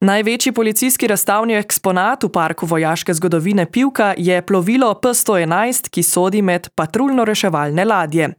Največji policijski razstavni eksponat v parku vojaške zgodovine Pivka je plovilo P-111, ki sodi med patruljno-reševalne ladje.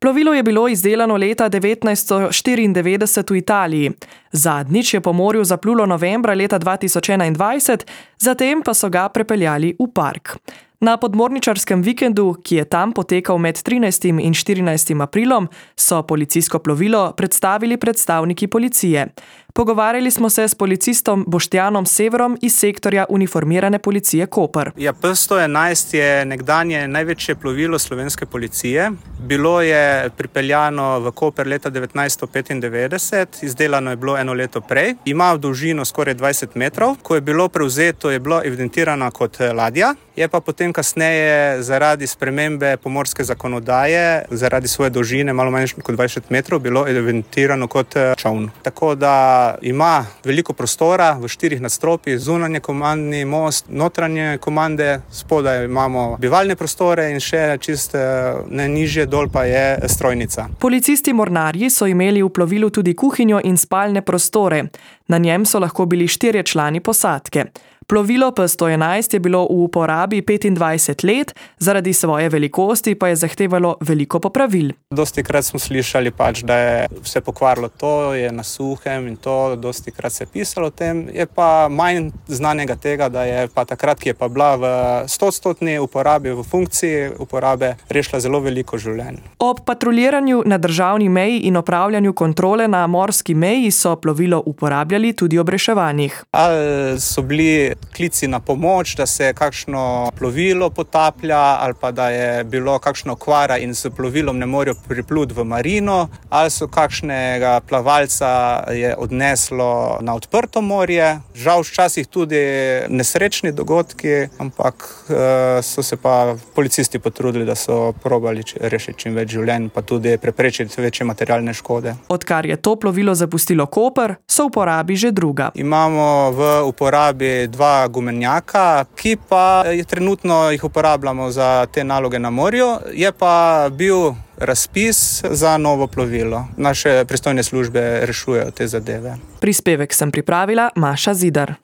Plovilo je bilo izdelano leta 1994 v Italiji. Zadnjič je po morju zaplulo novembra leta 2021, zatem pa so ga prepeljali v park. Na podmorničarskem vikendu, ki je tam potekal med 13. in 14. aprilom, so policijsko plovilo predstavili predstavniki policije. Pogovarjali smo se s policistom Boštjanom Severom iz sektorja uniformirane policije Koper. P-111 je nekdanje največje plovilo slovenske policije. Bilo je pripeljano v Koper leta 1995, izdelano je bilo eno leto prej. Ima dolžino skoraj 20 metrov. Ko je bilo prevzeto, je bilo evidentirano kot ladja. Je pa potem kasneje zaradi spremembe pomorske zakonodaje, zaradi svoje dolžine, malo manj kot 20 metrov, bilo evidentirano kot čoln. Tako da ima veliko prostora v 4 nadstropjih, zunanje komandni most, notranje komande, spodaj imamo bivalne prostore in še čist najnižje dol pa je strojnica. Policisti mornarji so imeli v plovilu tudi kuhinjo in spalne prostore. Na njem so lahko bili 4 člani posadke. Plovilo P-111 je bilo v uporabi 25 let, zaradi svoje velikosti pa je zahtevalo veliko popravil. Dostikrat smo slišali da je vse pokvarilo, to je na suhem in to, dostikrat se je pisalo o tem. Je pa manj znanega tega, da je pa takrat, ki je pa bila v 100% uporabi, v funkciji uporabe, rešila zelo veliko življenj. Ob patruljiranju na državni meji in opravljanju kontrole na morski meji so plovilo uporabljali tudi ob reševanjih. Ali so bili klici na pomoč, da se kakšno plovilo potaplja ali pa da je bilo kakšno okvara in s plovilom ne morejo pripluti v marino, ali so kakšnega plavalca je odneslo na odprto morje. Žal včasih tudi nesrečni dogodki, ampak so se pa policisti potrudili, da so probali rešiti čim več življenj, pa tudi preprečiti večje materialne škode. Odkar je to plovilo zapustilo Koper, so v uporabi že druga. Imamo v uporabi 2 gumenjaka, ki pa trenutno jih uporabljamo za te naloge na morju. Je pa bil razpis za novo plovilo. Naše pristojne službe rešujejo te zadeve. Prispevek sem pripravila Maša Zidar.